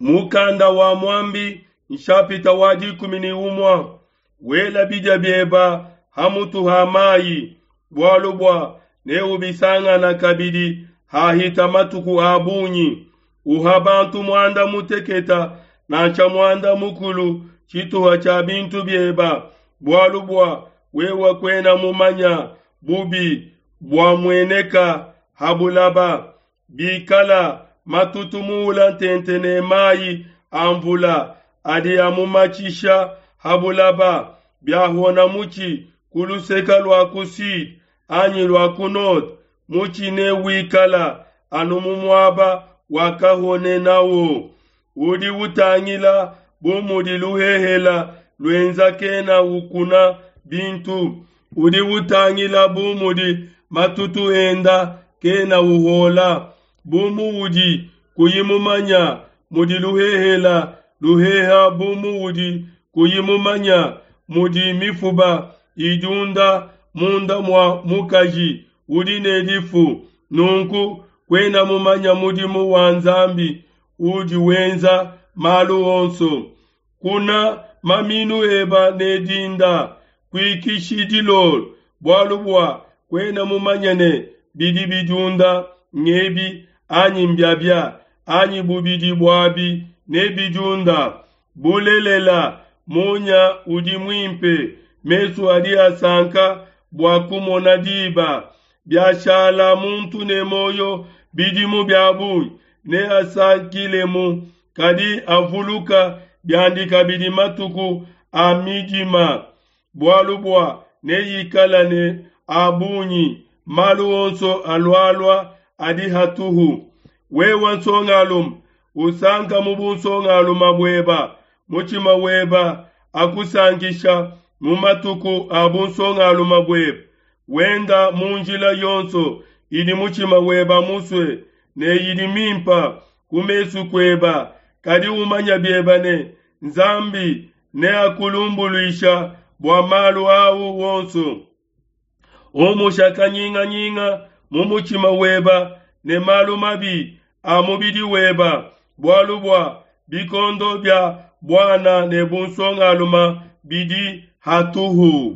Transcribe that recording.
Mukanda wa Muambi nshapita wa 11. Wela bidia bieba ha mutu ha mayi, bualu bua neubisangana kabidi hahita matuku a bungi. Uha bantu muanda muteketa nansha muanda mukulu tshituha tshia bintu bieba, bualu bua wewe kuena mumanya bubi buamueneka ha bulaba. Bikala matutu muula ntente ne mayi a mvula adi amumatshisha ha bulaba, biahona mutshi ku luseke lua ku sud anyi lua ku nord, mutshi newikala anu mu muaba wakahonenawo. Udi utangila bu mudi luhehela luenza kena ukuna bintu, udi utangila bu mudi matutu enda kena uhola. Bu muudi kuyi mumanya mudi luhehela luheha, bu muudi kuyi mumanya mudi mifuba idiunda munda mua mukaji udi ne difu, nunku kuena mumanya mudimu wa Nzambi udi wenza malu onso. Kuna maminu eba ne dinda, kuikishi dilolo, bualu bua kuena mumanye ne bidi bidiunda ngebi anyi mbiabia, anyi bubidi buabi nebidiunda. Bulelela, munya udi muimpe, mesu adi asanka bua kumona diba. Biashala muntu ne muoyo bidimu bia bungi, neasankilemu, kadi avuluka biandi kabidi matuku a midima, bualu bua neikala ne a bungi, malu onso alualua adi hatuhu. Wewe nsongalume, usanka mu bunsongalume bueba, mutshima weba akusankisha mu matuku a bunsongalume bueba. Wenda mu njila yonso idi mutshima weba musue ne idi mimpa ku mesu kueba, kadi umanya bieba ne Nzambi neakulumbuluisha bua malu au wonso. Umusha kanyinganyinga mu mutshima weba ne malu mabi a mubidi weba, bualu bua bikondo bia buana ne bunsongalume bidi hatuhu.